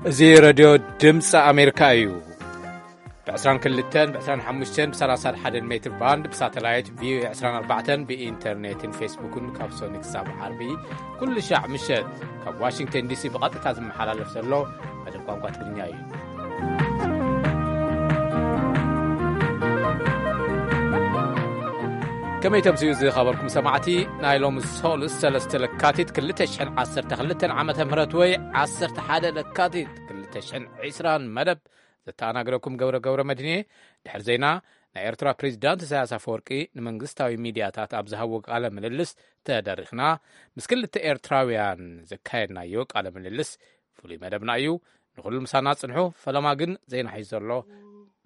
እዚ ሬድዮ ድምፂ ኣሜሪካ እዩ። ብ22፣ ብ25፣ ብ31 ሜትር ባንድ፣ ብሳተላይት ቪኦኤ 24፣ ብኢንተርኔትን ፌስቡክን ካብ ሶኒ ክሳብ ዓርቢ ኩሉ ሻዕ ምሸት ካብ ዋሽንግተን ዲሲ ብቐጥታ ዝመሓላለፍ ዘሎ መደብ ቋንቋ ትግርኛ እዩ። ከመይ ተምስዩ ዝኸበርኩም ሰማዕቲ፣ ናይ ሎሚ ሶሉስ 3 ለካቲት 2012 ዓመተ ምህረት ወይ 11 ለካቲት 2020 መደብ ዘተኣናግረኩም ገብረ ገብረ መድህኔ። ድሕሪ ዜና፣ ናይ ኤርትራ ፕሬዚዳንት ኢሳያስ ኣፈወርቂ ንመንግስታዊ ሚድያታት ኣብ ዝሃብዎ ቃለ ምልልስ ተደሪኽና። ምስ ክልተ ኤርትራውያን ዘካየድናዮ ቃለ ምልልስ ፍሉይ መደብና እዩ። ንኹሉ ምሳና ጽንሑ። ፈለማ ግን ዜና ሒዙ ዘሎ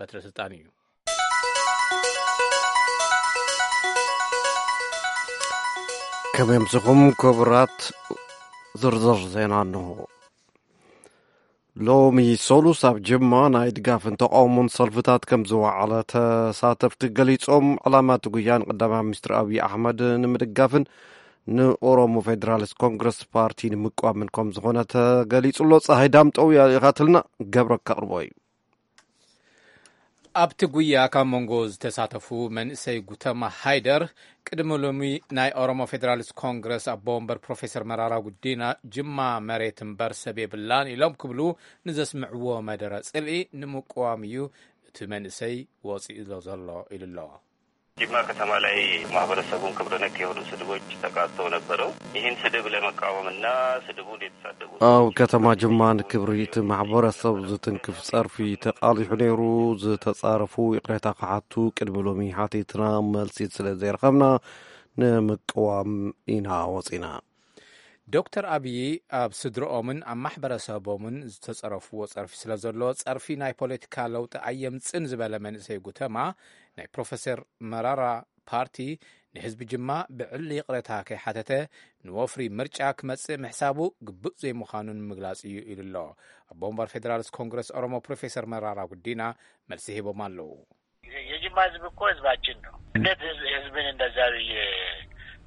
በትረ ስልጣን እዩ። ከመይ ኣምሲኹም ክቡራት፣ ዝርዝር ዜና እንሆ። ሎሚ ሶሉስ ኣብ ጅማ ናይ ድጋፍን ተቃውሞን ሰልፍታት ከም ዝወዓለ ተሳተፍቲ ገሊጾም። ዕላማ እቲ ጉያ ንቀዳማይ ሚኒስትር ኣብይ ኣሕመድ ንምድጋፍን ንኦሮሞ ፌዴራሊስት ኮንግረስ ፓርቲ ንምቋምን ከም ዝኾነ ተገሊጹ ኣሎ። ፀሃይ ዳምጠው ያሊኻትልና ገብረ ከቕርቦ እዩ። ኣብቲ ጉያ ካብ መንጎ ዝተሳተፉ መንእሰይ ጉተማ ሃይደር፣ ቅድሚ ሎሚ ናይ ኦሮሞ ፌዴራሊስት ኮንግረስ ኣቦ ወንበር ፕሮፌሰር መራራ ጉዲና፣ ጅማ መሬት እምበር ሰብ የብላን ኢሎም ክብሉ ንዘስምዕዎ መደረ ጽልኢ ንምቅዋም እዩ እቲ መንእሰይ ወፂኡ ዘሎ ኢሉ ኣሎ። ጅማ ከተማ ላይ ማህበረሰቡን ክብረ ነክ የሆኑ ስድቦች ተቃጥተው ነበረው። ይህን ስድብ ለመቃወምና ስድቡ እንዴት ኣብ ከተማ ጅማ ንክብሪ እቲ ማሕበረሰብ ዝትንክፍ ጸርፊ ተቓሊሑ ነይሩ። ዝተጻረፉ ይቕሬታ ክሓቱ ቅድሚ ሎሚ ሓቲትና፣ መልሲ ስለ ዘይረኸብና ንምቅዋም ኢና ወጺና። ዶክተር ኣብዪ ኣብ ስድረኦምን ኣብ ማሕበረሰቦምን ዝተጸረፍዎ ጸርፊ ስለ ዘሎ፣ ጸርፊ ናይ ፖለቲካ ለውጢ ኣየምጽን ዝበለ መንእሰይ ጉተማ፣ ናይ ፕሮፌሰር መራራ ፓርቲ ንህዝቢ ጅማ ብዕሊ ይቕሬታ ከይሓተተ ንወፍሪ ምርጫ ክመጽእ ምሕሳቡ ግቡእ ዘይምዃኑ ንምግላጽ እዩ ኢሉ ኣሎ። ኣቦ ወንበር ፌደራሊስት ኮንግረስ ኦሮሞ ፕሮፌሰር መራራ ጉዲና መልሲ ሂቦም ኣለዉ። የጅማ ህዝብ እኮ ህዝባችን ነው። እንዴት ህዝብ፣ ህዝብን እንደዛ ብዬ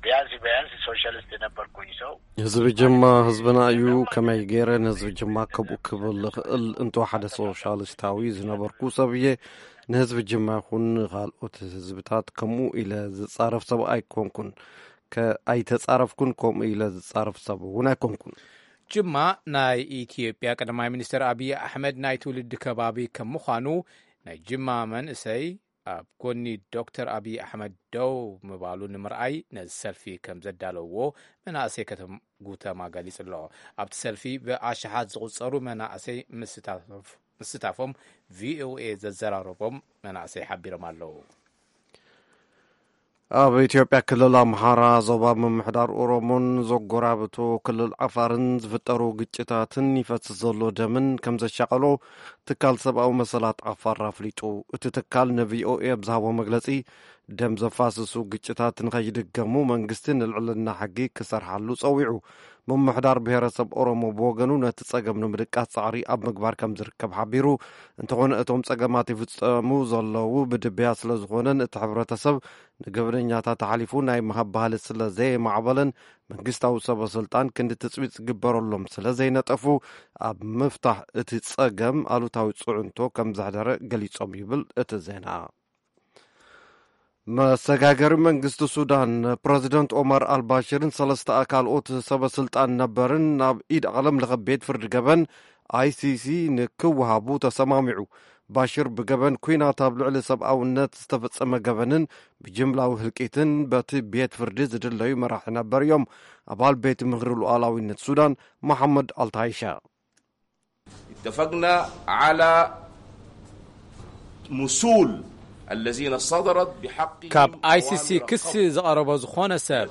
ቢያንስ፣ ቢያንስ ሶሻሊስት የነበርኩኝ ሰው ህዝቢ ጅማ ህዝብና እዩ። ከመይ ገይረ ንህዝቢ ጅማ ከምኡ ክብል እኽእል? እንቶ ሓደ ሶሻሊስታዊ ዝነበርኩ ሰብ እየ። ንህዝቢ ጅማ ይኹን ካልኦት ህዝብታት ከምኡ ኢለ ዝጻረፍ ሰብ ኣይኮንኩን። ከ-፣ ኣይተጻረፍኩን፣ ከምኡ ኢለ ዝጻረፍ ሰብ እውን ኣይኮንኩን። ጅማ ናይ ኢትዮጵያ ቀዳማይ ሚኒስትር ኣብይ ኣሕመድ ናይ ትውልዲ ከባቢ ከም ምዃኑ፣ ናይ ጅማ መንእሰይ ኣብ ጎኒ ዶክተር ኣብይ ኣሕመድ ደው ምባሉ ንምርኣይ ነዚ ሰልፊ ከም ዘዳለውዎ መናእሰይ ከተም-፣ ጉተማ ገሊጹ ኣሎ። ኣብቲ ሰልፊ ብኣሽሓት ዝቑጸሩ መናእሰይ ምስታፍ-፣ ምስታፎም ቪኦኤ ዘዘራረቦም መናእሰይ ሓቢሮም ኣለዉ። ኣብ ኢትዮጵያ ክልል ኣምሓራ ዞባ ምምሕዳር ኦሮሞን ዘጎራብቶ ክልል ዓፋርን ዝፍጠሩ ግጭታትን ይፈስስ ዘሎ ደምን ከም ዘሻቐሎ ትካል ሰብኣዊ መሰላት ዓፋር ኣፍሊጡ። እቲ ትካል ንቪኦኤ ኣብ ዝሃቦ መግለጺ፣ ደም ዘፋስሱ ግጭታት ንኸይድገሙ መንግስቲ ንልዕልና ሕጊ ክሰርሓሉ ጸዊዑ። ምምሕዳር ብሄረሰብ ኦሮሞ ብወገኑ ነቲ ጸገም ንምድቃስ ጻዕሪ ኣብ ምግባር ከም ዝርከብ ሓቢሩ። እንተኾነ እቶም ጸገማት ይፍጸሙ ዘለዉ ብድብያ ስለ ዝኾነን እቲ ሕብረተሰብ ንገበነኛታት ኣሕሊፉ ናይ ምሃብ ባህሊ ስለ ዘየማዕበለን መንግስታዊ ሰበ ስልጣን ክንዲ ትጽቢት ዝግበረሎም ስለ ዘይነጠፉ ኣብ ምፍታሕ እቲ ጸገም ኣሉታዊ ጽዕንቶ ከም ዘሕደረ ገሊጾም ይብል እቲ ዜና። መሰጋገሪ መንግስቲ ሱዳን ፕረዚደንት ኦማር ኣልባሽርን ሰለስተ ካልኦት ሰበ ስልጣን ነበርን ናብ ኢድ ዓለም ለኸ ቤት ፍርዲ ገበን ኣይሲሲ ንክወሃቡ ተሰማሚዑ። ባሽር ብገበን ኲናት ኣብ ልዕሊ ሰብኣውነት ዝተፈጸመ ገበንን ብጅምላዊ ህልቂትን በቲ ቤት ፍርዲ ዝድለዩ መራሒ ነበር እዮም። ኣባል ቤት ምኽሪ ሉዓላዊነት ሱዳን መሓመድ ኣልታይሻ። اتفقنا على مسؤول الذين صدرت بحقهم ካብ ኣይሲሲ ክሲ ዝቐረቦ ዝኾነ ሰብ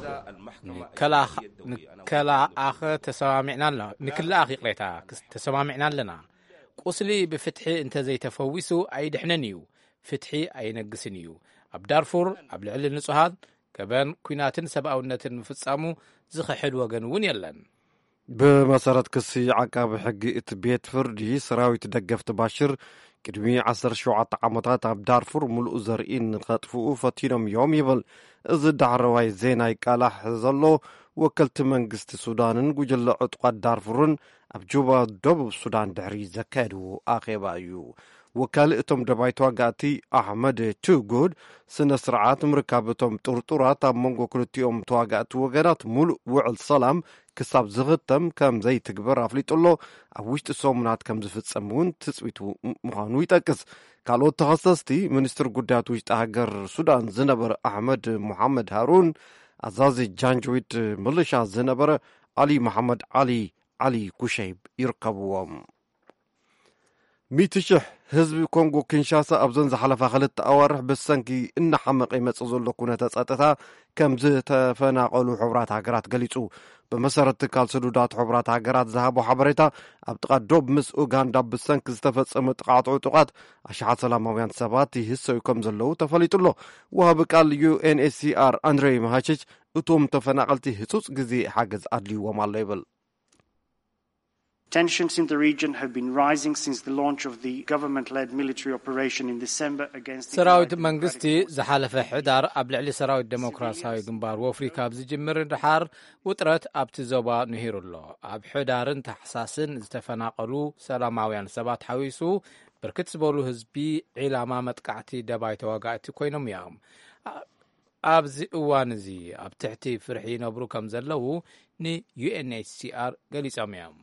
ንከላኸ ተሰማሚዕና ኣለና። ንክልኣኽ ይቕሬታ ክስ-፣ ተሰማሚዕና ኣለና። ቁስሊ ብፍትሒ እንተዘይተፈዊሱ ኣይድሕንን እዩ። ፍትሒ ኣይነግስን እዩ። ኣብ ዳርፉር ኣብ ልዕሊ ንጹሃት ገበን ኲናትን ሰብኣውነትን ምፍጻሙ ዝኽሕድ ወገን እውን የለን። ብመሰረት ክሲ ዓቃቢ ሕጊ እቲ ቤት ፍርዲ፣ ሰራዊት ደገፍቲ ባሽር ቅድሚ ዓሰርተ ሸውዓተ ዓመታት ኣብ ዳርፉር ምሉእ ዘርኢ ንኸጥፍኡ ፈቲኖም እዮም ይብል። እዚ ዳሕረዋይ ዜና ይቃላሕ ዘሎ ወከልቲ መንግስቲ ሱዳንን ጉጅለ ዕጡቓት ዳርፉርን ኣብ ጁባ ደቡብ ሱዳን ድሕሪ ዘካየድዎ ኣኼባ እዩ። ወካሊ እቶም ደባይ ተዋጋእቲ ኣሕመድ ቱጉድ፣ ስነ ስርዓት ምርካብ እቶም ጥርጡራት ኣብ መንጎ ክልቲኦም ተዋጋእቲ ወገናት ሙሉእ ውዕል ሰላም ክሳብ ዝኽተም ከም ዘይትግበር ኣፍሊጡ ኣሎ። ኣብ ውሽጢ ሰሙናት ከም ዝፍጸም እውን ትጽቢቱ ምዃኑ ይጠቅስ። ካልኦት ተኸሰስቲ፣ ሚኒስትር ጉዳያት ውሽጢ ሃገር ሱዳን ዝነበረ ኣሕመድ ሙሓመድ ሃሩን፣ ኣዛዚ ጃንጅዊድ ምልሻ ዝነበረ ኣሊ መሓመድ ዓሊ፣ ዓሊ ኩሸይብ ይርከብዎም። ሚእቲ ሽሕ ህዝቢ ኮንጎ ኪንሻሳ ኣብዘን ዝሓለፋ ክልተ ኣዋርሕ ብሰንኪ እናሓመቐ ይመጽእ ዘሎ ኩነተ ጸጥታ ከም ዝተፈናቐሉ ሕቡራት ሃገራት ገሊጹ። ብመሰረት ትካል ስዱዳት ሕቡራት ሃገራት ዝሃቦ ሓበሬታ፣ ኣብ ጥቓ ዶብ ምስ ኡጋንዳ ብሰንኪ ዝተፈጸመ ጥቓዕቲ ዕጡቓት ኣሽሓት ሰላማውያን ሰባት ይህሰዩ ከም ዘለዉ ተፈሊጡ ኣሎ። ወሃቢ ቃል ዩ ኤን ኤች ሲ ኣር ኣንድሬ ማሃችች፣ እቶም ተፈናቐልቲ ህጹጽ ግዜ ሓገዝ ኣድልይዎም ኣሎ ይብል። Tensions in the region have been rising since the launch of the government-led military operation in December against the ሰራዊት United መንግስቲ Democratic Forces. ዝሓለፈ ሕዳር ኣብ ልዕሊ ሰራዊት ዴሞክራሲያዊ ግንባር ወፍሪ ካብ ዝጅምር ድሓር ውጥረት ኣብቲ ዞባ ንሂሩ ኣሎ። ኣብ ሕዳርን ታሕሳስን ዝተፈናቐሉ ሰላማውያን ሰባት ሓዊሱ ብርክት ዝበሉ ህዝቢ ዒላማ መጥቃዕቲ ደባይ ተዋጋእቲ ኮይኖም እዮም። ኣ- ኣብዚ እዋን እዚ ኣብ ትሕቲ ፍርሒ ይነብሩ ከም ዘለዉ ን ዩ ኤን ኤች ሲ ኣር ገሊጾም እዮም።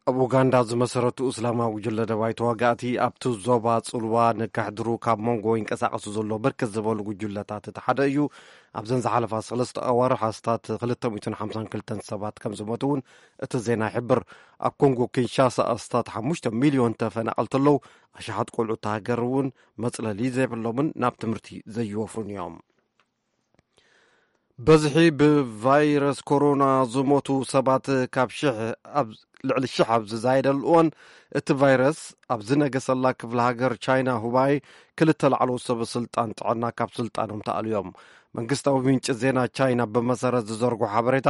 ኣብ ኡጋንዳ ዝመሰረቱ እስላማዊ ጉጅለ ደባይ ተዋጋእቲ ኣብቲ ዞባ ጽልዋ ንከሕድሩ ካብ መንጎ ይንቀሳቐሱ ዘሎ ብርክት ዝበሉ ጉጅለታት እቲ ሓደ እዩ። ኣብዘን ዝሓለፋ ሰለስተ ኣዋርሕ ኣስታት ክልተ ሚእትን ሓምሳን ክልተን ሰባት ከም ዝሞቱ እውን እቲ ዜና ይሕብር። ኣብ ኮንጎ ኪንሻሳ ኣስታት ሓሙሽተ ሚልዮን ተፈናቐልቲ ኣለዉ። ኣሽሓት ቆልዑ እታ ሃገር እውን መጽለሊ ዘይብሎምን ናብ ትምህርቲ ዘይወፍሩን እዮም። በዝሒ ብቫይረስ ኮሮና ዝሞቱ ሰባት ካብ ሽሕ ኣብ ልዕሊ ሽሕ ኣብ ዝዛየደሉ እዋን፣ እቲ ቫይረስ ኣብ ዝነገሰላ ክፍለ ሃገር ቻይና ሁባይ ክልተ ላዕለዎት ሰበ ስልጣን ጥዕና ካብ ስልጣኖም ተኣልዮም። መንግስታዊ ምንጪ ዜና ቻይና ብመሰረት ዝዘርጎ ሓበሬታ፣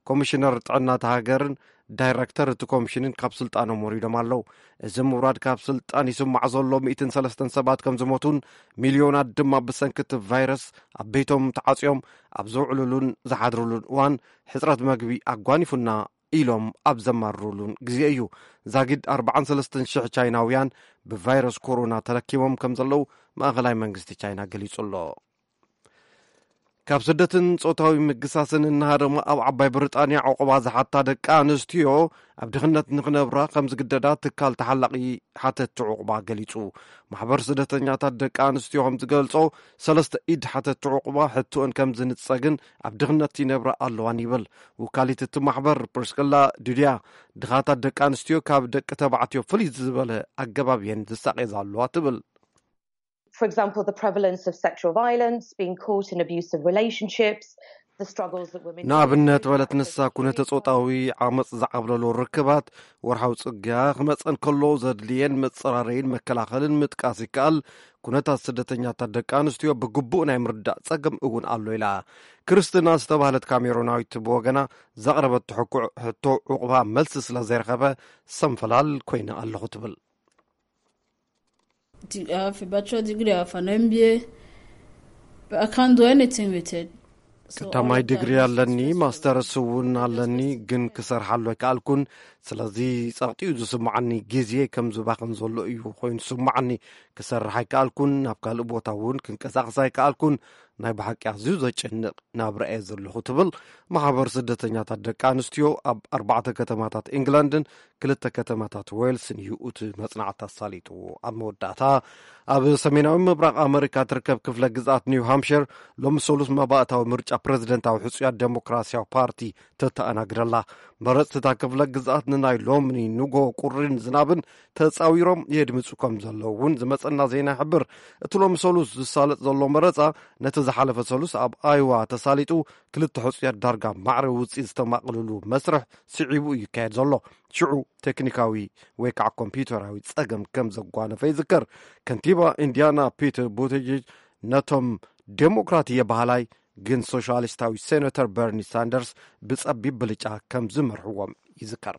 ኮሚሽነር ጥዕና እታ ሃገርን ዳይረክተር እቲ ኮሚሽንን ካብ ስልጣኖም ወሪዶም ኣለዉ። እዚ ምውራድ ካብ ስልጣን ይስማዕ ዘሎ ሚእትን ሰለስተን ሰባት ከም ዝሞቱን ሚልዮናት ድማ ብሰንኪ እቲ ቫይረስ ኣብ ቤቶም ተዓጽዮም ኣብ ዘውዕሉሉን ዝሓድሩሉን እዋን ሕጽረት መግቢ ኣጓኒፉና ኢሎም ኣብ ዘማርሩሉን ግዜ እዩ። ዛጊድ ኣርባዓን ሰለስተን ሽሕ ቻይናውያን ብቫይረስ ኮሮና ተለኪሞም ከም ዘለዉ ማእኸላይ መንግስቲ ቻይና ገሊጹ ኣሎ። ካብ ስደትን ጾታዊ ምግሳስን እናሃደሙ ኣብ ዓባይ ብሪጣንያ ዕቑባ ዝሓታ ደቂ ኣንስትዮ ኣብ ድኽነት ንኽነብራ ከም ዝግደዳ ትካል ተሓላቒ ሓተቲ ዕቑባ ገሊጹ። ማሕበር ስደተኛታት ደቂ ኣንስትዮ ከም ዝገልጾ፣ ሰለስተ ኢድ ሓተቲ ዕቑባ ሕቶአን ከም ዝንጸግን ኣብ ድኽነት ይነብራ ኣለዋን ይብል። ውካሊት እቲ ማሕበር ፕሪስክላ ዱድያ፣ ድኻታት ደቂ ኣንስትዮ ካብ ደቂ ተባዕትዮ ፍልይ ዝበለ ኣገባብ እየን ዝሳቐያ ዘለዋ ትብል። For example, the prevalence of sexual violence, being caught in abusive relationships, the struggles that women ንኣብነት በለት ንሳ፣ ኩነተ ጾታዊ ዓመጽ ዝዓብለሎ ርክባት፣ ወርሓዊ ጽግያ ክመጸን ከሎ ዘድልየን መጸራረይን መከላኸልን ምጥቃስ ይከኣል። ኩነታት ስደተኛታት ደቂ ኣንስትዮ ብግቡእ ናይ ምርዳእ ጸገም እውን ኣሎ ኢላ። ክርስትና ዝተባህለት ካሜሮናዊት ብወገና ዘቕረበቶ ሕቶ ዕቑባ መልሲ ስለ ዘይረኸበ ሰንፈላል ኮይነ ኣለኹ ትብል። I have a bachelor degree, I have an M B A, but I can't do anything with it. So all ቀዳማይ of that ዲግሪ is ኣለኒ፣ stressful. ማስተርስ እውን ኣለኒ፣ ግን ክሰርሓሉ ኣይከኣልኩን። ስለዚ ጸቕጢ እዩ ዝስምዓኒ፣ ግዜ ከም ዝባኽን ዘሎ እዩ ኮይኑ ዝስምዓኒ። ክሰርሕ ኣይከኣልኩን፣ ናብ ካልእ ቦታ እውን ክንቀሳቐስ ኣይከኣልኩን። ናይ ብሓቂ ኣዝዩ ዘጨንቕ ናብራ እየ ዘለኹ ትብል። ማሕበር ስደተኛታት ደቂ ኣንስትዮ ኣብ ኣርባዕተ ከተማታት ኢንግላንድን ክልተ ከተማታት ዌልስን እዩ እቲ መጽናዕቲ ኣሳሊጥዎ። ኣብ መወዳእታ፣ ኣብ ሰሜናዊ ምብራቕ ኣመሪካ ትርከብ ክፍለ ግዝኣት ኒው ሃምሽር ሎሚ ሰሉስ መባእታዊ ምርጫ ፕረዚደንታዊ ሕጹያት ዴሞክራሲያዊ ፓርቲ ተተኣናግደላ። መረጽቲ እታ ክፍለ ግዝኣት ንናይ ሎሚ ንጎ ቁሪን ዝናብን ተጻዊሮም የድምጹ ከም ዘለዉ እውን ዝመጸና ዜና ይሕብር። እቲ ሎሚ ሰሉስ ዝሳለጥ ዘሎ መረጻ ነቲ ዝሓለፈ ሰሉስ ኣብ ኣይዋ ተሳሊጡ ክልተ ሕጹያት ዳርጋ ማዕረ ውጽኢት ዝተማቕልሉ መስርሕ ስዒቡ እዩ ይካየድ ዘሎ። ሽዑ ቴክኒካዊ ወይ ከዓ ኮምፒውተራዊ ጸገም ከም ዘጓነፈ ይዝከር። ከንቲባ ኢንዲያና ፒተር ቡቲጅጅ ነቶም ዴሞክራት እየ በሃላይ ግን ሶሻሊስታዊ ሴናተር በርኒ ሳንደርስ ብጸቢብ ብልጫ ከም ዝመርሕዎም ይዝከር።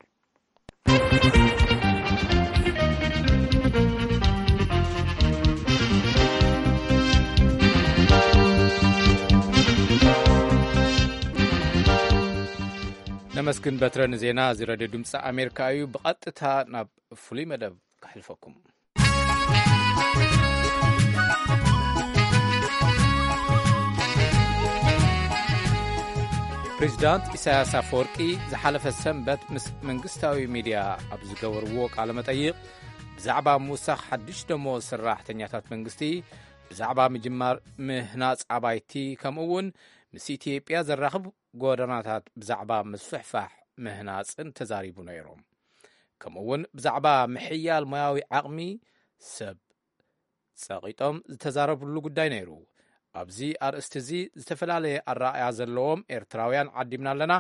መስግን በትረ ንዜና እዚ ሬድዮ ድምፂ ኣሜሪካ እዩ። ብቐጥታ ናብ ፍሉይ መደብ ከሕልፈኩም። ፕሬዚዳንት ኢሳያስ ኣፈወርቂ ዝሓለፈ ሰንበት ምስ መንግስታዊ ሚድያ ኣብ ዝገበርዎ ቃለ መጠይቕ፣ ብዛዕባ ምውሳኽ ሓድሽ ደሞዝ ሰራሕተኛታት መንግስቲ፣ ብዛዕባ ምጅማር ምህናጽ ኣባይቲ፣ ከምኡ እውን ምስ ኢትዮጵያ ዘራኽብ ጎደናታት ብዛዕባ ምስፍሕፋሕ ምህናጽን ተዛሪቡ ነይሩ። ከምኡ እውን ብዛዕባ ምሕያል ሞያዊ ዓቕሚ ሰብ ጸቒጦም ዝተዛረብሉ ጉዳይ ነይሩ። ኣብዚ ኣርእስቲ እዚ ዝተፈላለየ ኣረኣእያ ዘለዎም ኤርትራውያን ዓዲምና ኣለና።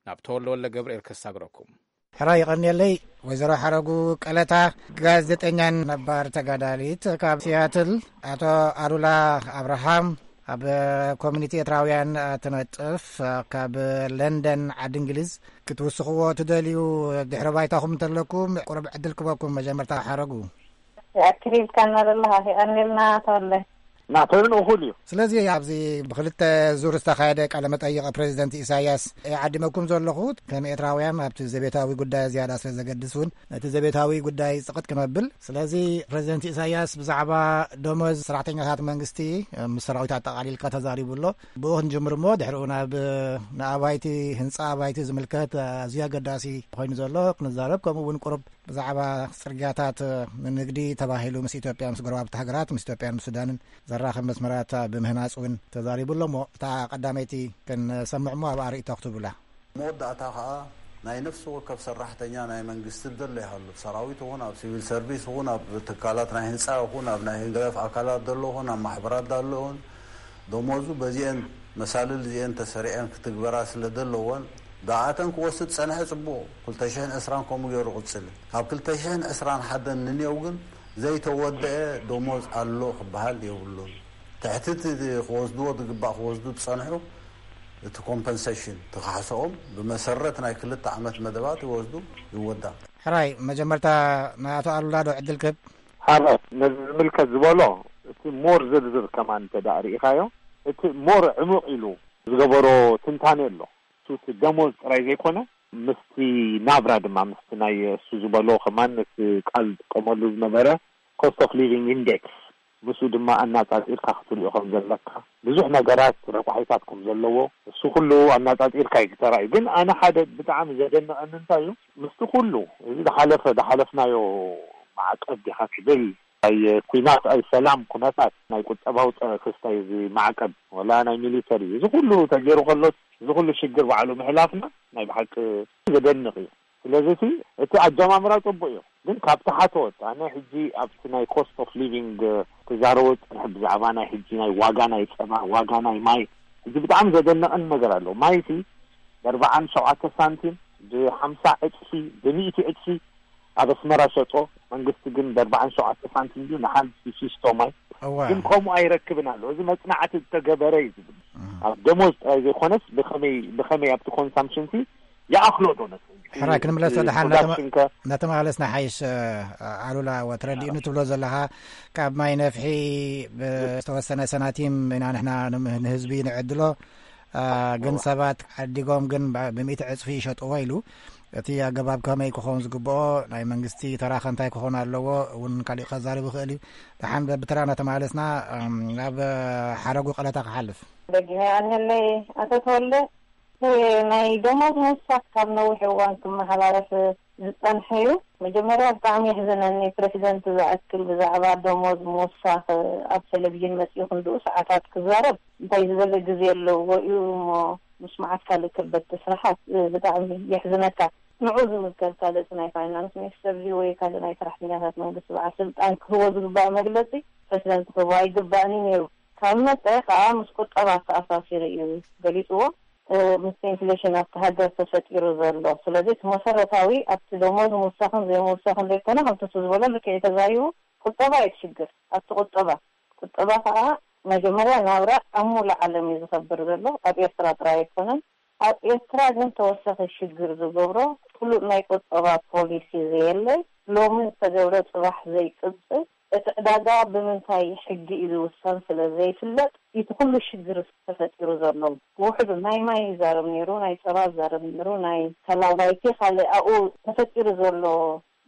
ናብ ተወልደ ወልደ ገብርኤል ከሳግረኩም። ሕራይ ይቐንየለይ። ወይዘሮ ሓረጉ ቀለታ፣ ጋዜጠኛን ነባር ተጋዳሊት ካብ ሲያትል፣ ኣቶ ኣሉላ ኣብርሃም፣ ኣብ ኮሚኒቲ ኤርትራውያን ትነጥፍ፣ ካብ ለንደን ዓዲ እንግሊዝ፣ ክትውስኽዎ ትደልዩ ድሕሪ ባይታኹም እንተለኩም ቁሩብ ዕድል ክበኩም። መጀመርታ ሓረጉ። ኣክሊልካ እናደለኻ ይቐንየልና ተወለ። ናተን እኹል እዩ። ስለዚ ኣብዚ ብክልተ ዙር ዝተኻየደ ቃለ መጠይቕ ፕሬዚደንት ኢሳያስ እየ ዓዲመኩም ዘለኹ። ከም ኤርትራውያን ኣብቲ ዘቤታዊ ጉዳይ ዝያዳ ስለ ዘገድስ እውን ነቲ ዘቤታዊ ጉዳይ ጽቕጥ ክነብል። ስለዚ ፕሬዚደንት ኢሳያስ ብዛዕባ ደሞዝ ሰራሕተኛታት መንግስቲ ምስ ሰራዊት ኣጠቓሊልካ ተዛሪቡ ኣሎ። ብኡ ክንጅምር እሞ ድሕሪኡ ናብ ንኣባይቲ፣ ህንጻ ኣባይቲ ዝምልከት ኣዝዩ ኣገዳሲ ኮይኑ ዘሎ ክንዛረብ፣ ከምኡ እውን ቁሩብ ብዛዕባ ጽርግያታት ንንግዲ ተባሂሉ ምስ ኢትዮጵያ፣ ምስ ጎረባብቲ ሃገራት፣ ምስ ኢትዮጵያን ምስ ሱዳንን ዘራኽብ መስመራት ብምህናጽ እውን ተዛሪቡ ኣሎ። እሞ እታ ቀዳመይቲ ክንሰምዕ እሞ ኣብኣ ርእይቶ ክትብሉላ። መወዳእታ ኸኣ ናይ ነፍሲ ወከፍ ሰራሕተኛ ናይ መንግስቲ ዘሎ ይሃሉ፣ ኣብ ሰራዊት ይኹን፣ ኣብ ሲቪል ሰርቪስ ይኹን፣ ኣብ ትካላት ናይ ህንጻ ይኹን፣ ኣብ ናይ ህግደፍ ኣካላት ዘሎ ይኹን፣ ኣብ ማሕበራት ዘሎ ይኹን፣ ደሞዙ በዚአን መሳልል እዚአን ተሰሪዐን ክትግበራ ስለ ዘለወን፣ ብኣተን ክወስድ ጸንሐ ጽቡቕ፣ ክልተ ሽሕን ዕስራን ከምኡ ገይሩ ቅጽል። ካብ ክልተ ሽሕን ዕስራን ሓደን ንኔው ግን ዘይተወደአ ደሞዝ ኣሎ ክበሃል የብሉን። ትሕቲ እቲ ክወስድዎ ዝግባእ ክወስዱ ዝጸንሑ፣ እቲ ኮምፐንሴሽን፣ እቲ ካሕስኦም ብመሰረት ናይ ክልተ ዓመት መደባት ይወስዱ፣ ይወዳ። ሕራይ፣ መጀመርታ ንኣቶ ኣሉላ ዶ ዕድል ክህብ? ሓራይ፣ ነዚ ዝምልከት ዝበሎ፣ እቲ ሞር ዝርዝር ከማን እንተ ደኣ ርኢኻዮ፣ እቲ ሞር ዕሙቕ ኢሉ ዝገበሮ ትንታኔ ኣሎ። እሱ እቲ ደሞዝ ጥራይ ዘይኮነ፣ ምስቲ ናብራ ድማ፣ ምስቲ ናይ እሱ ዝበሎ ከማን፣ እቲ ቃል ዝጥቀመሉ ዝነበረ ኮስት ኦፍ ሊቪንግ ኢንዴክስ፣ ምስኡ ድማ ኣናጻጺርካ ክትሪኦ ከም ዘለካ፣ ብዙሕ ነገራት ረቋሒታት ከም ዘለዎ፣ እሱ ኩሉ ኣናጻጺርካ እዩ ተራእዩ። ግን ኣነ ሓደ ብጣዕሚ ዘደንቐኒ እንታይ እዩ፣ ምስቲ ኩሉ እዚ ዝሓለፈ፣ ዝሓለፍናዮ ማዕቀብ ዲኻ ትብል፣ ናይ ኲናት፣ ኣይ ሰላም ኩነታት፣ ናይ ቁጠባዊ ጸ-፣ ክስታይ እዚ ማዕቀብ፣ ወላ ናይ ሚሊተሪ፣ እዚ ኩሉ ተገይሩ ከሎ፣ እዚ ኩሉ ሽግር ባዕሉ ምሕላፍና ናይ ብሓቂ ዘደንቕ እዩ። ስለዚ እቲ፣ እቲ ኣጀማምራ ጽቡቕ እዩ፣ ግን ካብ ታሕተዎት፣ ኣነ ሕጂ ኣብቲ ናይ ኮስት ኦፍ ሊቪንግ ክዛረቦ ዝጸንሐ፣ ብዛዕባ ናይ ሕጂ ናይ ዋጋ ናይ ጸባ፣ ዋጋ ናይ ማይ፣ ሕጂ ብጣዕሚ ዘደንቐኒ ነገር ኣሎ። ማይቲ ብ ኣርባዓን ሸውዓተ ሳንቲም፣ ብ ሓምሳ ዕጽፊ፣ ብ ሚእቲ ዕጽፊ ኣብ ኣስመራ ሸጦ። መንግስቲ ግን ብ ኣርባዓን ሸውዓተ ሳንቲም ድዩ ንሓንቲ ፊስቶ ማይ? እወ። ግን ከምኡ ኣይረክብን ኣሎ። እዚ መጽናዕቲ ዝተገበረ እዩ ዝብል። እም። ኣብ ደሞዝ ጥራይ ዘይኮነስ ብኸመይ፣ ብኸመይ ኣብቲ ኮንሳምፕሽን ሲ ይኣኽሎ ዶ ነቲ ሕራይ ክንምለስ እቲ ደሓን ፕሮዳክሽን ከ? እናተመላለስና ሓይሽ፣ እ፣ ኣሉላ፣ ወ-፣ ተረዲኡኒ ትብሎ ዘለኻ፣ ካብ ማይ ነፍሒ ብዝተወሰነ ሰናቲም ኢና ንሕና ንም-፣ ንህዝቢ ንዕድሎ። እ፣ ግን እዋ። ሰባት ዓዲጎም ግን ብ-፣ ብሚእቲ ዕጽፊ ይሸጥዎ ኢሉ። እቲ ኣገባብ ከመይ ክኸውን ዝግብኦ፣ ናይ መንግስቲ ተራ ከ እንታይ ክኸውን ኣለዎ እውን ካሊእ ከዛርብ ይኽእል እዩ። ደሓን በ-፣ ብተራ እናተመላለስና፣ እም፣ ናብ፣ እ፣ ሓረጉ ቀለታ ክሓልፍ። ደጊመ ኣንለይ ኣቶ ተወልደ፣ እ፣ ናይ ደሞዝ ምውሳኽ ካብ ነዊሕ እዋን ክመሓላለፍ ዝጸንሐ እዩ። መጀመርያ ብጣዕሚ የሕዝነኒ፣ ፕረሲደንት ዝኣክል ብዛዕባ ደሞዝ ምውሳኽ ኣብ ቴሌቪዥን መጺኡ ክንድኡ ሰዓታት ክዛረብ። እንታይ ዝበለ ግዜ ኣለዎ እዩ እሞ ምስማዓት ካልእ ከበድቲ ስራሓት፣ እ፣ ብጣዕሚ የሕዝነካ። ንዑ ዝምልከት ካልእ እቲ ናይ ፋይናንስ ሚኒስተር ድዩ ወይ ካልእ ናይ ሰራሕተኛታት መንግስቲ በዓል ስልጣን ክህቦ ዝግባእ መግለጺ ፕረሲደንት ክህቦ ኣይግባእን እዩ ነይሩ። ካብ መጸ ከኣ ምስ ቁጠባ ኣተኣሳሲሩ እዩ ገሊጽዎ። እ፣ ምስ ኢንፍሌሽን ኣብቲ ሃገር ተፈጢሩ ዘሎ። ስለዚ እቲ መሰረታዊ ኣብቲ ደሞዝ ምውሳኽን ዘይምውሳኽን ዘይኮነ፣ ከምቲ እሱ ዝበሎ ልክዕ እዩ ተዛሪቡ፣ ቁጠባ እዩ እቲ ሽግር። ኣብቲ ቁጠባ፣ ቁጠባ ከኣ መጀመርያ ናብራ ኣብ ሙሉእ ዓለም እዩ ዝኸብር ዘሎ፣ ኣብ ኤርትራ ጥራይ ኣይኮነን። ኣብ ኤርትራ ግን ተወሳኺ ሽግር ዝገብሮ ፍሉጥ ናይ ቁጠባ ፖሊሲ ዘየለ፣ ሎሚ ዝተገብረ ጽባሕ ዘይቅጽል፣ እቲ ዕዳጋ ብምንታይ ሕጊ እዩ ዝውሰን ስለ ዘይፍለጥ፣ እቲ ኩሉ ሽግር ተፈጢሩ ዘሎ። ብውሕዱ ናይ ማይ ይዛረብ ነይሩ፣ ናይ ጸባ ይዛረብ ነይሩ፣ ናይ ተላባይቲ ካልእ ኣብኡ ተፈጢሩ ዘሎ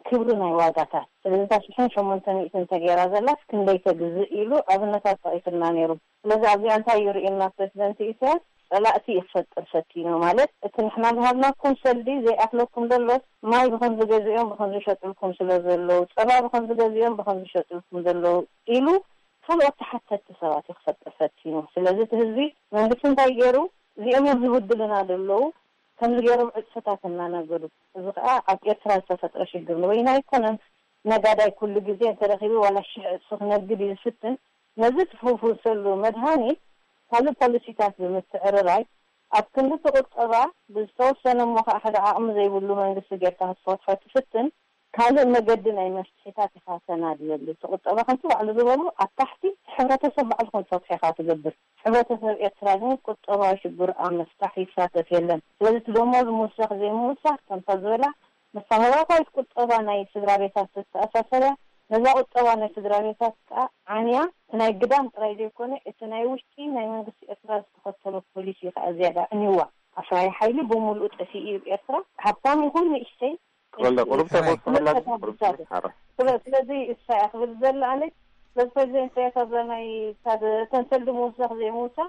ክብሪ ናይ ዋጋታት። ስለዚ እታ ሽሕን ሸሞንተ ሚእትን ተገይራ ዘላስ ክንደይ ተግዝእ ኢሉ ኣብነታት ጠቒሱልና ነይሩ። ስለዚ ኣብዚኣ እንታይ እዩ ርእዩና ፕረዚደንት ኢሳያስ? ጸላእቲ እዩ ክፈጥር ፈቲኑ። ማለት እቲ ንሕና ዝሃብናኩም ሰልዲ ዘይኣክለኩም ዘሎስ ማይ ብኸም ዝገዝኦም ብኸም ዝሸጥልኩም ስለ ዘለዉ፣ ጸባ ብኸም ዝገዝኦም ብኸም ዝሸጥልኩም ዘለዉ ኢሉ ካልኦት ተሓተትቲ ሰባት እዩ ክፈጥር ፈቲኑ። ስለዚ እቲ ህዝቢ መንግስቲ እንታይ ገይሩ? እዚኦም እዮም ዝብድሉና ዘለዉ፣ ከምዚ ገይሮም ዕጽፍታት እናነገዱ። እዚ ከዓ ኣብ ኤርትራ ዝተፈጥረ ሽግር ንበይኑ ኣይኮነን። ነጋዳይ ኩሉ ግዜ እንተረኺቡ ዋላ ሽሕ ዕጽፊ ክነግድ እዩ ዝፍትን። ነዚ ትፍውሰሉ መድሃኒት ካልእ ፖሊሲታት ብምትዕርራይ ኣብ ክንዲ እቲ ቁጠባ ብዝተወሰነ እሞ ከዓ ሓደ ዓቕሚ ዘይብሉ መንግስቲ ጌርካ ክትፈትሖ ትፍትን ካልእ መገዲ ናይ መፍትሒታት ኢኻ ተናድየሉ። እቲ ቁጠባ ከምቲ ባዕሉ ዝበሎ ኣብ ታሕቲ እቲ ሕብረተሰብ ባዕሉ ከም ዝፈትሖ ኢኻ ትገብር። ሕብረተሰብ ኤርትራ ግን ቁጠባዊ ሽግሩ ኣብ ምፍታሕ ይሳተፍ የለን። ስለዚ እቲ ደሞዝ ምውሳኽ ዘይምውሳኽ ከምታ ዝበላ መሰረታዊት ቁጠባ ናይ ስድራ ቤታት ተተኣሳሰር እያ። ነዛ ቁጠባ ናይ ስድራ ቤታት ከዓ ዓንያ እቲ ናይ ግዳም ጥራይ ዘይኮነ እቲ ናይ ውሽጢ ናይ መንግስቲ ኤርትራ ዝተኸተሎ ፖሊሲ ከዓ ዝያዳ ዕንይዋ። ኣፍራይ ሓይሊ ብምሉኡ ጠፊኡ እዩ ኤርትራ። ሃብታም ይኹን ንእሽተይ ክበልዳ ቁሩብ ተወስኸላ ግን ቁሩብ ትንሽ ሓራ። ስለ- ስለዚ እሳ እያ ክብል ዘላ ኣነ። ስለዚ ፕሬዚደንት ኢሳያስ ኣብዛ ናይ ካብ ተንሰል ድምውሳኽ ዘይምውሳኽ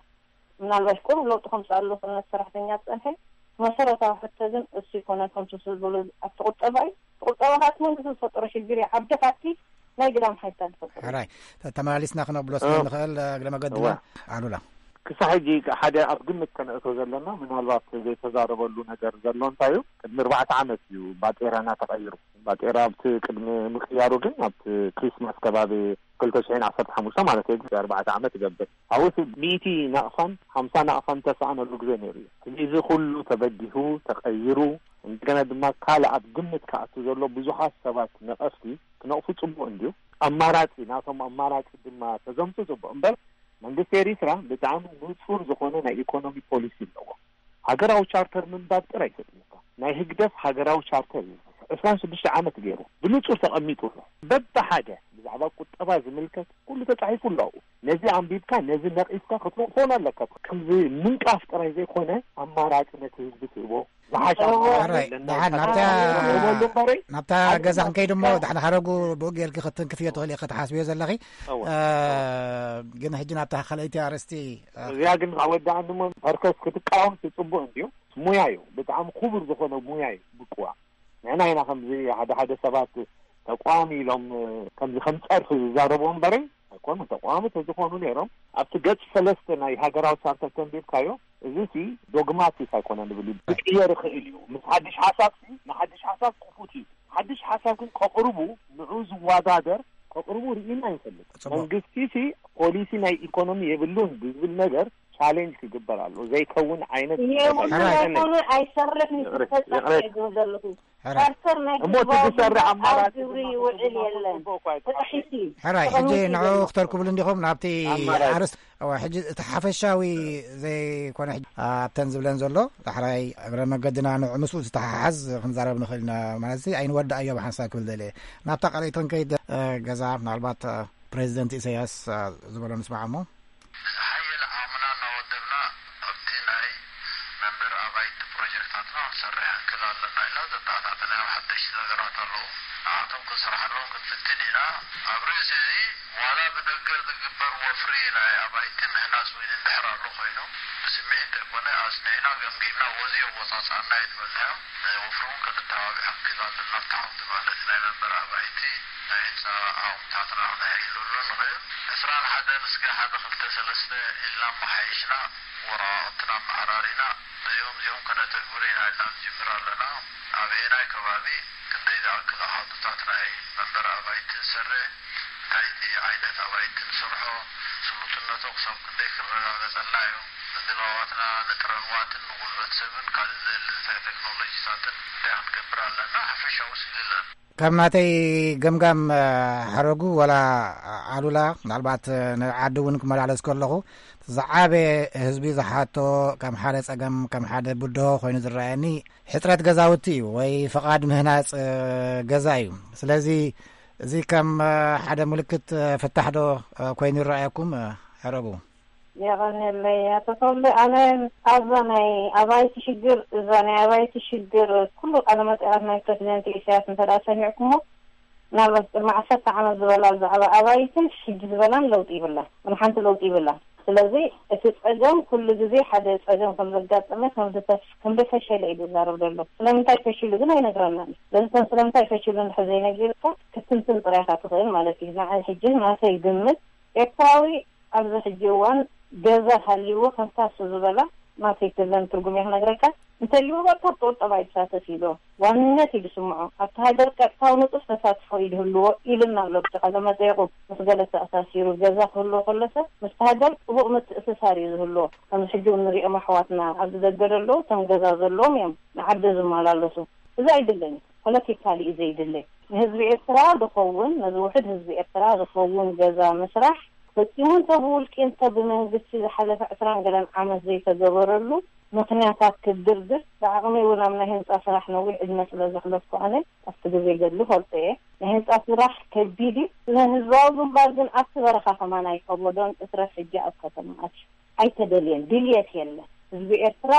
ምናልባሽ ቁሩብ ለውጢ ከምፅእ ኣሎ ክነት ሰራሕተኛ ዝፀንሐ መሰረታዊ ሕቶ ግን እሱ ይኮነ ከምቲ ዝብሉ ኣብቲ ቁጠባ እዩ። ቁጠባ ካት መንግስቲ ዝፈጠሮ ሽግር እዩ። ዓብዲ ካቲ ናይ ግዳም ሓይልታት ዝፈጠሮ ሕራይ ተ- ተመላሊስና ክነብሎ ስለ ንኽእል እግረ መገድና እዋ። ኣሉላ ክሳብ ሕጂ ሓደ ኣብ ግምት ከነእቶ ዘለና ምናልባት ዘይተዛረበሉ ነገር ዘሎ እንታይ እዩ? ቅድሚ ኣርባዕተ ዓመት እዩ ባጤራና ተቐይሩ። ባጤራ ኣብቲ ቅድሚ ምቅያሩ ግን ኣብቲ ክሪስማስ ከባቢ ክልተ ሽሕን ዓሰርተ ሓሙሽተ ማለት እዩ ኣርባዕተ ዓመት ይገብር። ኣብኡ እቲ ሚእቲ ናቕፋን ሓምሳ ናቕፋን ተሰኣነሉ ግዜ ነይሩ እዩ። ሕጂ እዚ ኩሉ ተበጊሁ ተቐይሩ እንደገና ድማ ካልእ ኣብ ግምት ክኣቱ ዘሎ ብዙሓት ሰባት ነቐፍቲ ክነቕፉ ጽቡቕ እንድዩ። ኣማራጺ ናቶም ኣማራጺ ድማ ተዘምቱ ጽቡቕ እምበር መንግስቲ ኤሪትራ ብጣዕሚ ንጹር ዝኾነ ናይ ኢኮኖሚ ፖሊሲ ኣለዎ። ሃገራዊ ቻርተር ምንባብ ጥራይ ይሰጥልካ። ናይ ህግደፍ ሃገራዊ ቻርተር እዩ ዕስራን ሽዱሽተ ዓመት ገይሩ ብንጹር ተቐሚጡ ኣሎ። በብሓደ ብዛዕባ ቁጠባ ዝምልከት ኩሉ ተጻሒፉ ኣሎ። ነዚ ኣንቢብካ ነዚ ነቒፍካ ክትነቕፎን ኣለካ። ከምዚ ምንቃፍ ጥራይ ዘይኮነ ኣማራጺ ነቲ ህዝቢ ትህቦ ዝሓሸ ኣማራጺ ሕራይ ኣለና። ደሓን ናብታ ንበሉ እምበረይ ናብታ ኣብ ገዛ ክንከይድ እሞ ደሓን ሓረጉ ብኡ ጌርኪ ክትንክፍዮ ትኽእል ኢኺ ክትሓስብዮ ዘለኺ። እወ። እ፣ ግን ሕጂ ናብታ ካልኣይቲ ኣርእስቲ እዚኣ ግን ካብ ወዳእኒ እሞ ፐርከስ ክትቃወም ጽቡቕ እንድዩ። ሙያ እዩ፣ ብጣዕሚ ክቡር ዝኾነ ሙያ እዩ ብቅዋ። ንሕና ኢና ከምዚ ሓደ ሓደ ሰባት ተቋም ኢሎም ከምዚ ከም ጸርፊ ዝዛረቡ እምበረይ ኣይኮኑ። ተቋሚ ተዝኾኑ ነይሮም ኣብቲ ገጽ ሰለስተ ናይ ሃገራዊ ቻርተር ተንቢብካዮ እዚ ሲ ዶግማቲክ ኣይኮነ ንብል እዩ። ክቅየር ይኽእል እዩ። ምስ ሓድሽ ሓሳብ ሲ ንሓድሽ ሓሳብ ክፉት እዩ። ሓድሽ ሓሳብ ግን ከቕርቡ ንዑ ዝወዳደር ከቕርቡ ርኢና ይፈልጥ። ጽቡቕ። መንግስቲ ሲ ፖሊሲ ናይ ኢኮኖሚ የብሉን ብዝብል ነገር ቻሌንጅ ክግበር ኣሎ። ዘይከውን ዓይነት የብሉን ነገር ኣይኮነ ኣይሰርሕን እዩ። ይቕረ- ክፈጸም ይቕረ- እየ ዝብል ዘለኹ። ሕራይ። ቻርተር ናይ እሞ እቲ ህዝባዊ ዝሰርሕ ግንባር ኣብ ኣማራጺ ግብሪ ድማ ይውዕል ተዘማርኮ የለን። ጽቡቕ እኳ ኣይኮነን። ጥሒቲ። ሕራይ ሕጂ ተቐሚጡ ንዑ ዘሎ። ክተርክብሉ እንዲኹም ናብቲ ኣማራጺ። ኣርስቲ እዋ ሕጂ እቲ ሓፈሻዊ ዘይኮነ ሕጂ ኣብተን ዝብለን ዘሎ ዳሕራይ እግረ መገድና ንዑ ምስኡ ዝተሓሓዝ ክንዛረብ ንኽእል ኢና። ማለት እዚ ኣይንወዳእዮ ብሓንሳብ ክብል ደልየ ናብታ ካልኣይተን ከይድ እ፣ ገዛ ምናልባት እ፣ ፕሬዚደንት ኢሳያስ እ፣ ዝበሎ ንስማዕ እሞ ዝሓየለ ዓቕምና እናወደብና ኣብቲ ናይ መንበሪ ኣባይቲ ፕሮጀክታትና ክንሰርሕ ንክእል ኣለና ኢልና ዘተኣታተናዮም ሓደሽቲ ነገራት ኣለዉ። ንዓቶም ክንሰርሓሎም ክንፍትን ኢና። ኣብ ርእሲ እዚ ዋላ ብደገ ዝግበር ወፍሪ ናይ ኣባይቲ ምህናጽ እውን እንድሕር ኣሎ ኮይኑ ብስምዒት ዘይኮነ ኣጽኒዕና ገምጊምና ወዚ የወጻጽኣና እዩ ዝበልናዮ። ወፍሪ እውን ከነተባብዖ ንክእል ኣለና ኣብቲ ዓውዲ ማለት ናይ መንበሪ ኣባይቲ ናይ ህንፃ ዓቕምታትና ክነሐይለሉ ንኽእል። ዕስራን ሓደን እስከ ሓደ ክልተ ሰለስተ ኢልና ኣመሓይሽና ወረቓቕትና ኣመዓራሪና ነዚኦም እዚኦም ከነተግብር ኢና ኢልና ንጅምር ኣለና። ኣበየናይ ከባቢ ክንደይ ዝኣክል ኣሃዱታት ናይ መንበሪ ኣባይቲ ንሰርሕ፣ እንታይ ዓይነት ኣባይቲ ንሰርሖ፣ ስሉጥነቶ ክሳብ ክንደይ ክረጋገጸልና እዩ፣ ንድላዋትና ንጥረ ንዋትን ንጉልበት ሰብን ካልእ ዘድሊ ቴክኖሎጂታትን እንታይ ክንገብር ኣለና ሓፈሻዊ ስእሊ ኣለና። ካብ ናተይ ገምጋም ሓረጉ ወላ ኣሉላ ምናልባት ንዓዲ እውን ክመላለስ ከለኹ ዝዓበየ ህዝቢ ዝሓቶ ከም ሓደ ፀገም ከም ሓደ ብድሆ ኮይኑ ዝረኣየኒ ሕፅረት ገዛውቲ እዩ ወይ ፍቓድ ምህናፅ ገዛ እዩ። ስለዚ እዚ ከም ሓደ ምልክት ፍታሕ ዶ ኮይኑ ይረኣየኩም? ሕረቡ። የቐንየለይ ኣቶ ተወልደ። ኣነ ኣብዛ ናይ ኣባይቲ ሽግር፣ እዛ ናይ ኣባይቲ ሽግር ኩሉ ቃለ መጠይቓት ናይ ፕረዚደንት ኢሳያስ እንተ ደኣ ሰሚዕኩሞ፣ ምናልባት ቅድሚ ዓሰርተ ዓመት ዝበላ ብዛዕባ ኣባይትን ሕጂ ዝበላን ለውጢ ይብላ፣ ምንም ሓንቲ ለውጢ ይብላ። ስለዚ እቲ ጸገም ኩሉ ግዜ ሓደ ጸገም ከም ዘጋጠመ ከም ዝተፍ- ከም ዘፈሸለ እዩ ዝዛረብ ዘሎ። ስለምንታይ ፈሽሉ ግን ኣይነግረናን። ስለዚ ስለምንታይ ፈሽሉ እንድሕር ዘይነጊርካ ክትንትን ጥራይ ኢኻ ትኽእል ማለት እዩ። ንዓይ ሕጂ ናተይ ግምት ኤርትራዊ ኣብዚ ሕጂ እዋን ገዛ ሃልይዎ ከምታ እሱ ዝበላ ናተይ ትለን ትርጉም እየ ክነግረካ። እንተልይዎ በቃ ቁጠባ ይሳተፍ ኢሉ ዋንነት እዩ ዝስምዖ። ኣብቲ ሃገር ቀጥታዊ ንጡፍ ተሳትፎ እዩ ዝህልዎ ኢልና ኣሎ። ብቲ ቃለ መጠይቁ ምስ ገለ ተኣሳሲሩ ገዛ ክህልዎ ከሎ ሰብ ምስቲ ሃገር ጥቡቕ ምትእስሳር እዩ ዝህልዎ። ከምዚ ሕጂ እውን ንሪኦም ኣሕዋትና ኣብዚ ደገ ዘለዉ እቶም ገዛ ዘለዎም እዮም ንዓዲ ዝመላለሱ። እዚ ኣይድለኝ ፖለቲካሊ እዩ ዘይድለይ። ንህዝቢ ኤርትራ ዝኸውን ነዚ ውሕድ ህዝቢ ኤርትራ ዝኸውን ገዛ ምስራሕ ፈጺሙ እንተ ብውልቂ እንተ ብመንግስቲ ዝሓለፈ ዕስራን ገለን ዓመት ዘይተገበረሉ ምኽንያታት ክድርድር ብዓቕመይ እውን ኣብ ናይ ህንጻ ስራሕ ነዊሕ ዕድመ ስለ ዘሕለፍኩ ኣነ ኣብቲ ግዜ ገድሊ ፈልጦ እየ። ናይ ህንጻ ስራሕ ከቢድ እዩ። ንህዝባዊ ግንባር ግን ኣብቲ በረኻ ከማን ኣይከበዶን እትረፍ ሕጂ ኣብ ከተማ ኣትዩ። ኣይተደልየን፣ ድልየት የለን። ህዝቢ ኤርትራ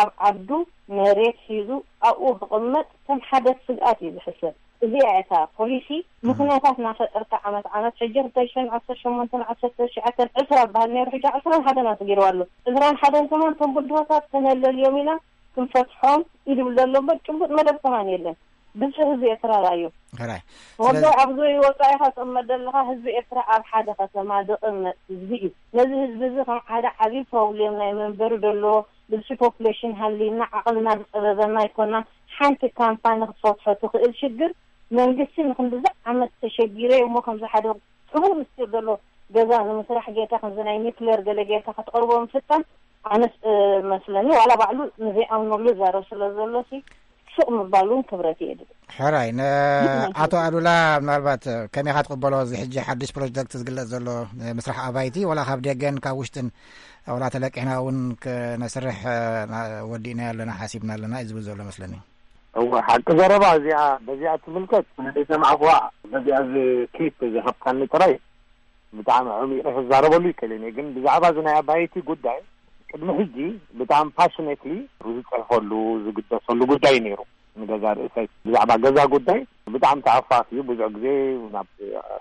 ኣብ ዓዱ መሬት ሒዙ ኣብኡ ክቕመጥ ከም ሓደ ስግኣት እዩ ዝሕሰብ። እዚኣ እታ ፖሊሲ ምኽንያታት እናፈጠርካ ዓመት ዓመት ሕጂ ክልተ ሽሕን ዓሰርተ ሸሞንተን ዓሰርተ ትሽዓተን ዕስራ በሃል ነይሩ ሕጂ ዕስራን ሓደን ኣስጊርዋ ኣሎ። ዕስራን ሓደን ከማን እቶም ብድሆታት ተነለልዮም ኢና ክንፈትሖም ይድብል ዘሎ እምበር ጭቡጥ መደብ ከማን የለን። ብዝሒ ህዝቢ ኤርትራ ርኣዮ። ሕራይ። ወዶ ስለዚ ኣብዚ ወጻኢኻ ትቕመጥ ዘለኻ ህዝቢ ኤርትራ ኣብ ሓደ ከተማ ዝቕመጥ ህዝቢ እዩ። ነዚ ህዝቢ እዚ ከም ሓደ ዓብዪ ፕሮብሌም ናይ መንበሪ ዘለዎ ብዝሒ ፖፕሌሽን ሃልዩና ዓቕልና ዝጸበበና ኣይኮናን። ሓንቲ ካምፓኒ ክትፈትሖ ትኽእል ሽግር መንግስቲ ንክንድዚ ዓመት ተሸጊረ እሞ ከምዚ ሓደ ሕቡር ምስጢር ዘሎ ገዛ ንምስራሕ ጌርካ ከምዚ ናይ ኒክሌር ገለ ጌርካ ክትቐርቦ ምፍታን ኣነስ መስለኒ ዋላ ባዕሉ ንዘይኣምነሉ ዛረብ ስለ ዘሎ ሲ ሱቕ ምባል እውን ክብረት የድል። ሕራይ። ንኣቶ ኣሉላ ምናልባት ከመይ ኢኻ ትቕበሎ? እዚ ሕጂ ሓድሽ ፕሮጀክት ዝግለጽ ዘሎ ምስራሕ ኣባይቲ ዋላ ካብ ደገን ካብ ውሽጥን ዋላ ተለቂሕና እውን ክነስርሕ ወዲእና ኣለና ሓሲብና ኣለና እዩ ዝብል ዘሎ መስለኒ። እወ ሓቂ ዘረባ እዚኣ በዚኣ ትምልከት ናይ ሰማዕኹዋ በዚኣ እዚ ክሊፕ ዝሃብካኒ ጥራይ ብጣዕሚ ዓሚቑ ክዛረበሉ ይክእል እየ ግን ብዛዕባ እዚ ናይ ኣባይቲ ጉዳይ ቅድሚ ሕጂ ብጣዕሚ ፓሽኔትሊ ዝፅሕፈሉ ዝግደሰሉ ጉዳይ እዩ ነይሩ። ንገዛ ርእሰይ ብዛዕባ ገዛ ጉዳይ ብጣዕሚ ተኣፋፍ እዩ። ብዙሕ ግዜ ናብ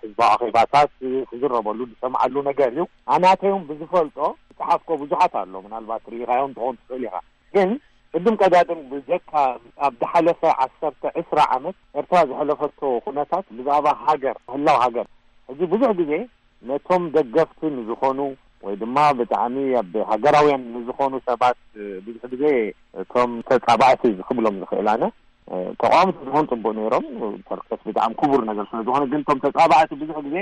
ህዝባዊ ኣኼባታት ክዝረበሉ ዝሰምዓሉ ነገር እዩ። ኣናተይ እውን ብዝፈልጦ ዝፀሓፍኮ ብዙሓት ኣሎ። ምናልባት ርኢኻዮም ትኸውን ትኽእል ኢኻ። ግን ቅድም ቀዳድም ብጀካ ኣብ ዝሓለፈ ዓሰርተ ዕስራ ዓመት ኤርትራ ዝሐለፈቶ ኩነታት ብዛዕባ ሃገር ህላው ሃገር ሕጂ ብዙሕ ግዜ ነቶም ደገፍቲ ንዝኾኑ ወይ ድማ ብጣዕሚ ኣብ ሃገራውያን ንዝኾኑ ሰባት ብዙሕ ግዜ እቶም ተጻባእቲ ክብሎም ዝኽእል ኣነ ተቃወምቲ ዝኾኑ ጽቡቅ ነይሮም ፐርከስ ብጣዕሚ ክቡር ነገር ስለ ዝኾነ ግን እቶም ተጻባእቲ ብዙሕ ግዜ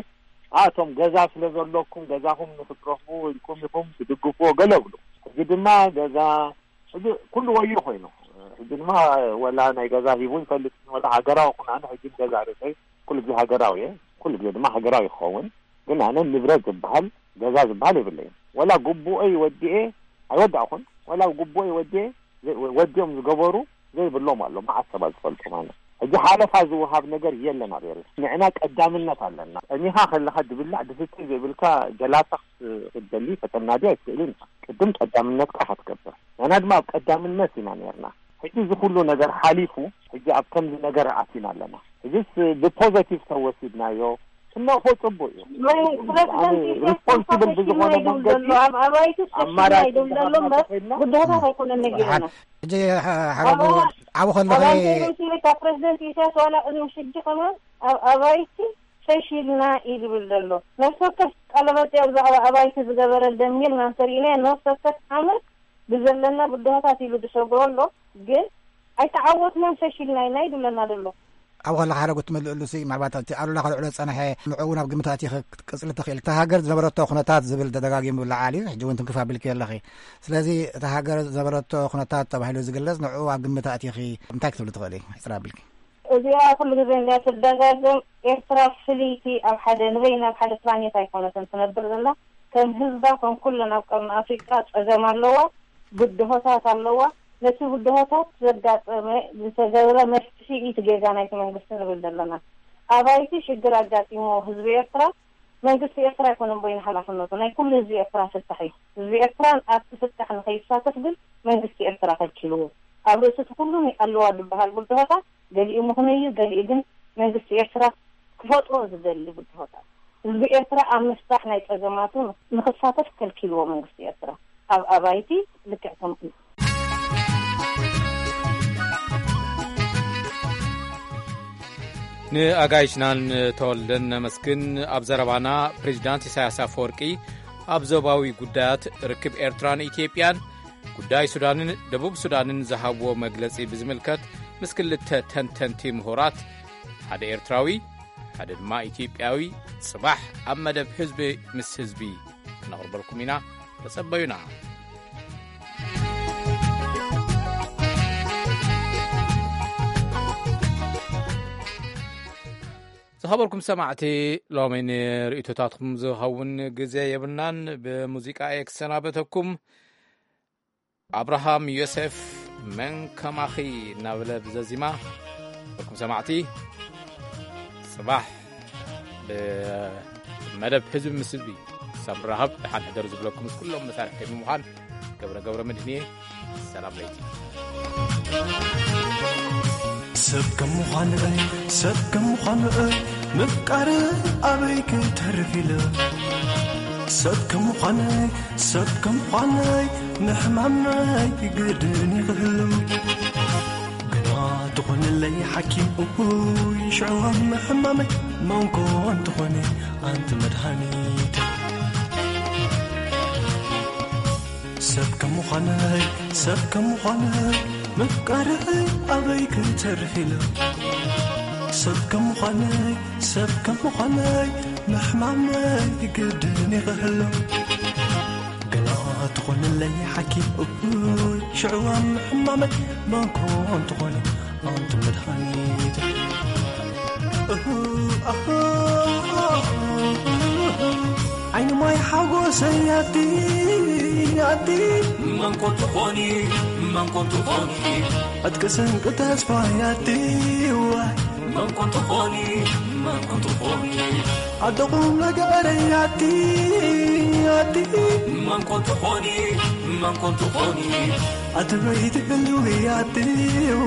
ኣቶም ገዛ ስለ ዘለኩም ገዛኹም ንክትረኽቡ ኢልኩም ኢኹም ትድግፍዎ ገለ ብሉ ሕጂ ድማ ገዛ ሕጂ ኩሉ ወዮ ኮይኑ ሕጂ ድማ ወላ ናይ ገዛ ሂቡ ይፈልጥ ወላ ሃገራዊ ኩን ኣነ ሕጂ ገዛ ርእሰይ ኩሉ ግዜ ሃገራዊ እየ ኩሉ ግዜ ድማ ሃገራዊ ክኸውን ግን ኣነ ንብረት ዝበሃል ገዛ ዝበሃል የብለይን ወላ ግቡኦይ ወዲኤ ኣይወዳእኹን ወላ ግቡኦይ ወዲኤ ወዲኦም ዝገበሩ ዘይብሎም ኣሎ መዓት ሰባት ዝፈልጦም ኣነ ሕጂ ሓለፋ ዝወሃብ ነገር የለን ኣብ ኤርትራ ንዕና ቀዳምነት ኣለና ጸሚኻ ከለኻ ድብላዕ ድስተ ዘይብልካ ጀላታ ክትደሊ ከተናዲ ኣይትኽእልን ኢኻ ቅድም ቀዳምነትካ ኢኻ ትገብር ንሕና ድማ ኣብ ቀዳምነት ኢና ነርና ሕጂ እዚ ኩሉ ነገር ሓሊፉ ሕጂ ኣብ ከምዚ ነገር ኣቲና ኣለና ሕጂስ ብፖዘቲቭ ተወሲድናዮ ክነቕፎ ጽቡቅ እዩ ሪስፖንስብል ብዝኾነ መንገዲ ኣባይቲ ኣማራጭ ብድሆታት ኣይኮነን ነጊርና ሕጂ ሓረጉ ዓቡ ከለኺ ኣባይቲ ሩሲ ካብ ፕሬዚደንት ኢሳያስ ዋላ ቅድሚ ሕጂ ከማን ኣብ ኣባይቲ ፈሺልና እዩ ዝብል ዘሎ ነፍሲ ወከፍ ቃለመጠይቅ ብዛዕባ ኣባይቲ ዝገበረ ደሚርና እንተሪኢናዮ ነፍሲ ወከፍ ዓመት ብዘለና ብድሆታት ኢሉ ዝሰግሮ ኣሎ ግን ኣይተዓወትናን ፈሺልና ኢና እዩ ዝብለና ዘሎ ኣብኡ ከለኻ ሓረጉ ትምልእሉ ሲ ምናልባት እቲ ኣሉላ ከልዕሎ ዝጸንሐ ንዕኡ ናብ ግምት ኣእቲኺ ክትቅጽሊ ትኽእል እታ ሃገር ዝነበረቶ ኩነታት ዝብል ተደጋጊሙ ይለዓል እዩ ሕጂ እውን ትንክፍ ኣቢልኪ ኣለኺ ስለዚ እታ ሃገር ዝነበረቶ ኩነታት ተባሂሉ ዝግለጽ ንዕኡ ኣብ ግምት ኣእቲኺ እንታይ ክትብሊ ትኽእሊ ሕጽር ኣቢልኪ እዚኣ ኩሉ ግዜ እንድያ ትደጋገም ኤርትራ ፍልይቲ ኣብ ሓደ ንበይና ኣብ ሓደ ፕላኔት ኣይኮነትን ትነብር ዘላ ከም ህዝባ ከም ኩለን ኣብ ቀርኒ ኣፍሪቃ ጸገም ኣለዋ ብድሆታት ኣለዋ ነቲ ብድሆታት ዘጋጠመ ዝተገብረ መፍትሒ እቲ ጌጋ ናይቲ መንግስቲ ንብል ዘለና ኣባይቲ ሽግር ኣጋጢሞ ህዝቢ ኤርትራ፣ መንግስቲ ኤርትራ ኣይኮነን በይኑ ሓላፍነቱ፣ ናይ ኩሉ ህዝቢ ኤርትራ ፍታሕ እዩ። ህዝቢ ኤርትራ ኣብቲ ፍታሕ ንኸይሳተፍ ግን መንግስቲ ኤርትራ ከልኪልዎ። ኣብ ርእሲ እቲ ኩሉ ኣለዋ ዝበሃል ብድሆታት ገሊኡ ምኽኑይ እዩ፣ ገሊኡ ግን መንግስቲ ኤርትራ ክፈጥሮ ዝደሊ ብድሆታት፣ ህዝቢ ኤርትራ ኣብ ምፍታሕ ናይ ጸገማቱ ንኽሳተፍ ከልኪልዎ መንግስቲ ኤርትራ ኣብ ኣባይቲ ልክዕ ከምኡ እዩ። ንኣጋይሽናን ተወልደን ነመስግን። ኣብ ዘረባና ፕሬዚዳንት ኢሳያስ ኣፈወርቂ ኣብ ዞባዊ ጉዳያት ርክብ ኤርትራን ኢትዮጵያን ጉዳይ ሱዳንን ደቡብ ሱዳንን ዝሃብዎ መግለጺ ብዝምልከት ምስ ክልተ ተንተንቲ ምሁራት፣ ሓደ ኤርትራዊ ሓደ ድማ ኢትዮጵያዊ፣ ጽባሕ ኣብ መደብ ህዝቢ ምስ ህዝቢ ክነቕርበልኩም ኢና። ተጸበዩና። ዝኸበርኩም ሰማዕቲ፣ ሎሚ ንርእይቶታትኩም ዝኸውን ግዜ የብልናን። ብሙዚቃ እየ ክሰናበተኩም። ኣብርሃም ዮሴፍ፣ መን ከማኺ እናበለ ብዘዚማ። ዝኸበርኩም ሰማዕቲ፣ ጽባሕ ብመደብ ህዝቢ ምስ ህዝቢ ክሳብ ንራኸብ፣ ደሓን ሕደሩ ዝብለኩም ምስ ኩሎም መሳርሕተይ ብምዃን ገብረ ገብረ መድህን እየ። ሰላም ለይቲ። ሰብ ከም ምዃን'ይ፣ ሰብ ከም ምዃን'ይ፣ ምፍቃር ኣበይ ክተርፍ ኢለ። ሰብ ከም ምዃን'ይ፣ ሰብ ከም ምዃን'ይ፣ ምሕማም'ይ ግድን እዩ ክህሉ። ግና ትኾንለይ ሓኪም እኩይ ሽዕዋ ምሕማመይ መንኮ እንትኾነ ኣንቲ መድሃኒት። ሰብ ከም ምዃነይ ሰብ ከም ምዃነይ ምፍቃረይ ኣበይ ክተርፍ ኢለ። ሰብ ከም ምዃነይ ሰብ ከም ምዃነይ ምሕማመይ ግድን ይኽህሎ። ገና ትኾንለይ ሓኪም እኩይ ሽዕዋ ምሕማመይ መንኮ እንትኾነ ኣንቲ መድሃኒት። እሁ፣ ኣሁ፣ ዓይኒ ማይ ሓጎሰይ ኣቲ፣ ኣቲ መንኮ ትኾኒ፣ መንኮ ትኾኒ ዕጥቂ ስንቂ ተስፋይ ኣቲ፣ ዋይ መንኮ ትኾኒ፣ መንኮ ትኾኒ ኣደኹም ነገረይ ኣቲ፣ ኣቲ መንኮ ትኾኒ፣ መንኮ ትኾኒ ኣቲ በይቲ ህልዊ ኣቲ፣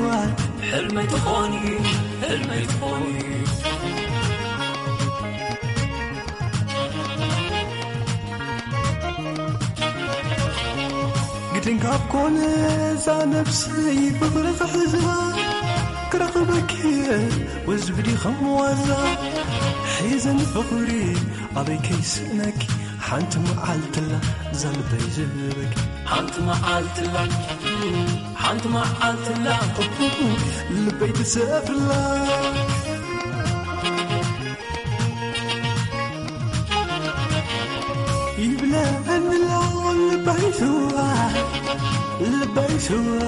ዋይ ሕልመይ ትኾኒ፣ ሕልመይ ትኾኒ። ግድን ካብ ኮነ እዛ ነብሰይ ፍቕሪ ክሕዛ ክረኽበኪ ወዝብዲ ከም ዋዛ ሒዘን ፍቕሪ ኣበይ ከይስእነኪ ሓንቲ መዓልትላ እዛ ልበይ ዝህበኪ ሓንቲ መዓልትላ ሓንቲ መዓልትላ ልበይ ትሰፍርላ ይብለኒ ኣሎ ልበይ ስዋ ልበይ ስዋ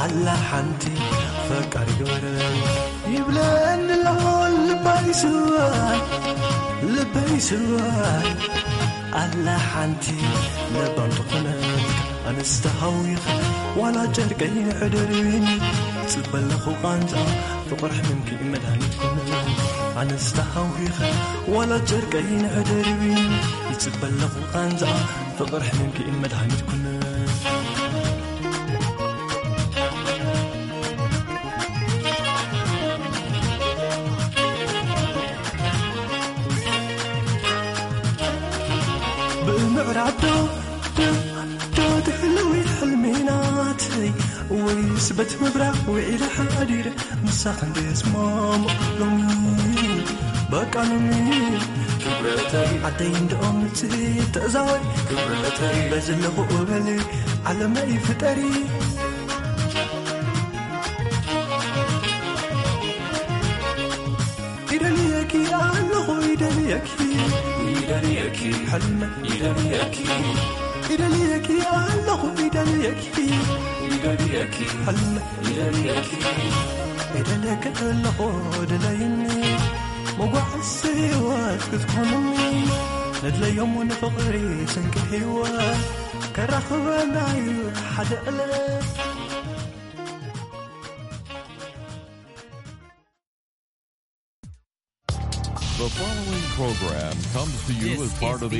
ኣላ ሓንቲ ፈቃሪ ግበረ ይብለኒ ኣሎ ልበይ ስዋ ልበይ ስዋ ኣላ ሓንቲ ለባም ዝኾነ ኣነስ ተሃዊኸ ዋላ ጨርቀይ ንሕደርብኒ ይጽበ ኣለኹ ቃንዛ ፍቕሪ ሕምምኪ መድሃኒት ኮነ ኣነስ ተሃዊኸ ዋላ ጨርቀይ ንሕደርብኒ ይጽበ ኣለኹ ቃንዛ ፍቕሪ ሕምምኪ መድሃኒት ኮነ ብእምዕራብ ዶ ዶ ዶ ትሕልዊ ሕልሚ ናተይ ወይስ በት ምብራቕ ውዒለ ሓዲረ ምሳኽ እንድስማም ሎሚ በቃ ሎሚ ክብረተይ ዓደይ እንድኦም ንጽሂ ተዛወሪ ክብረተይ በዝለኹ እበሊ ዓለመይ ፍጠሪ ይደልየኪ ኣለኹ ይደልየኪ ይደልየኪ ሕልመ ይደልየኪ ይደልየኪ ኣለኹ ይደልየኪ ይደልየኪ ሕልመ ይደልየኪ ይደልየኪ ኣለኹ ድለይኒ መጓዓዝ ህይወት ክትኮንኒ ነድለዮም ንፍቕሪ ስንቂ ህይወት ከራኽበና እዩ ሓደ ዕለት The following program comes to you as part of the